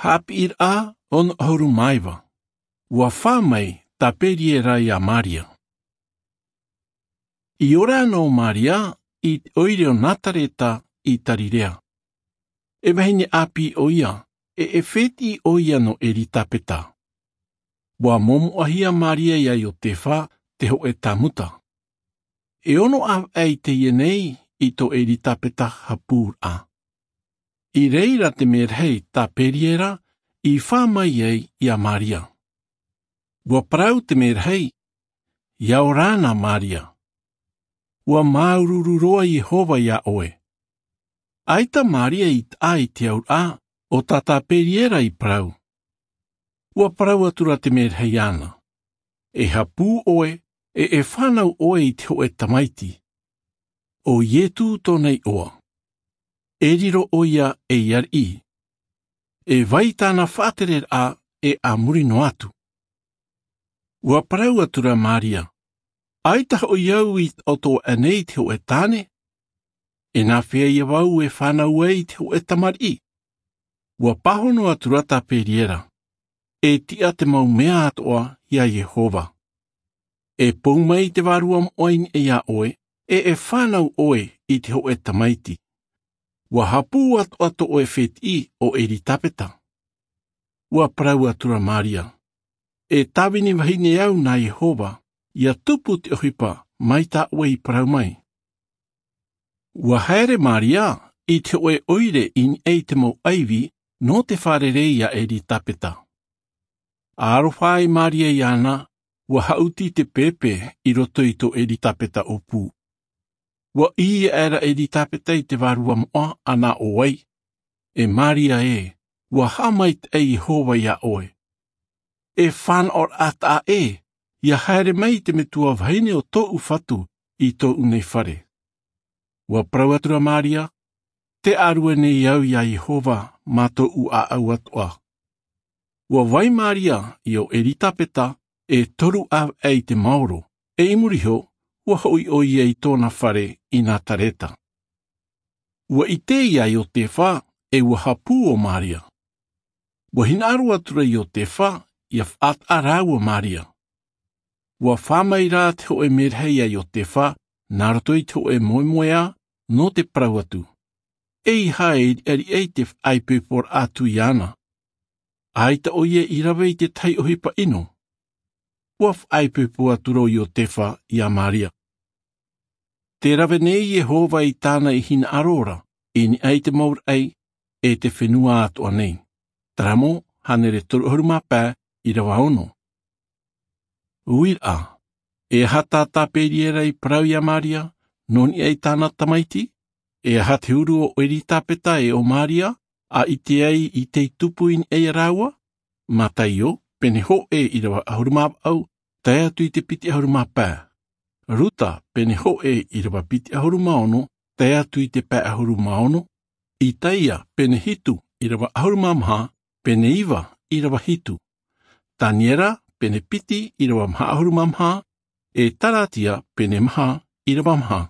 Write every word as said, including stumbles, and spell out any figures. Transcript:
Haʻapiʻiraʻa ono ʻahuru mā iva. Ua fā mai tā Peniera iā Maria. I ora ana ʻo Maria i te ʻoire o Nazareta i Galileia. E vahine ʻāpī ʻo ia, e e fētiʻi ʻo ia nō Elisabeta. Ua momoʻahia Maria iā Iosefa, te hōʻē tāmuta. E ono ʻāvaʻe i teie nei i tō Elisabeta hapūraʻa. I reira te merahi tā Peniera i fā mai ai iā Maria. Ua parau te merahi, ʻia ora na Maria. Ua māuruuru roa Iehova iā ʻoe. ʻAita Maria i taʻa i te auraʻa o tā tā Peniera i parau. Ua parau atu ra te merahi iāna. E hapū ʻoe, e e fānau ʻoe i te hōʻē tamaiti. ʻO Iesu tōna iʻoa. E riro ʻo ia ei ariʻi. E vai tāna faʻatereraʻa e a muri noa atu. Ua parau atu ra Maria. ʻAita hoʻi au i taʻoto aʻenei i te hōʻē tāne. E nā fea ïa vau e fānau ai i te hōʻē tamariʻi. Ua pāhono atu ra tā Peniera. E tiʻa te mau mea atoʻa iā Iehova. E pou mai te vārua moʻa i niʻa iā ʻoe, e e fānau ʻoe i te hōʻē tamaiti. Ua hapū atoʻa tō ʻoe fētiʻi ʻo Elisabeta. Ua parau atu ra Maria. E tāvini vahine au nā Iehova, ʻia tupu te ʻohipa mai tā ʻoe i parau mai. Ua haere Maria i te hōʻē ʻoire i niʻa i te mau ʻaivi nō te fārerei iā Elisabeta. Aroha ai Maria iāna, ua haʻuti te pēpē i roto i tō Elisabeta ʻōpū. Ua ʻī aʻera Elisabeta i te vārua moʻa, ʻa nā ʻō ai. E Maria ē, ua haʻamaitaʻi Iehova iā ʻoe. E fānaʻoraʻa taʻa ʻē, ʻia haere mai te metua vahine o tōʻu Fatu i tōʻu nei fare. Ua parau atu ra Maria, tē ʻārue nei au iā Iehova mā tōʻu ʻāʻau atoʻa. Ua vai Maria i ʻō Elisabeta e toru ʻāvaʻe i te maoro, e i muri iho, ua hoʻi ʻo ia i tōna fare i Nazareta. Ua ʻite ia Iosefa, e ua hapū ʻo Maria. Ua hinaʻaro atu ra Iosefa, ʻia faʻataʻa rāua Maria. Ua fā mai rā te hōʻē merahi iā Iosefa, nā roto i te hōʻē moemoeā, nō te parau atu. ʻEiaha e riʻariʻa i te faʻaipoiporaʻa atu iāna. ʻAita ʻo ia i rave i te tahi ʻohipa ʻino. Ua faʻaipoipo atu ra ʻo Iosefa iā Maria. Tē rave nei Iehova i tāna i hinaʻaro ra, i niʻa i te mau raʻi, e te fenua atoʻa nei. Salamo, hānere toru ʻahuru mā pae, ʻīrava ono. Uiraʻa, e aha tā tā Peniera i parau iā Maria, nō niʻa i tāna tamaiti? E aha te huru o Elisabeta e o Maria, ʻa ʻite ai i tei tupu i niʻa ia rāua? Mataio, pene hōʻē ʻīrava ʻahuru mā vaʻu, tae atu i te piti ʻahuru mā pae. Ruta, pene hōʻē ʻīrava piti ʻahuru mā ono, tae atu i te pae ʻahuru mā ono. Isaia, pene hitu ʻīrava ʻahuru mā maha, pene iva ʻīrava hitu. Taniera, pene piti ʻīrava maha ʻahuru mā maha, e Kalatia, pene maha ʻīrava maha.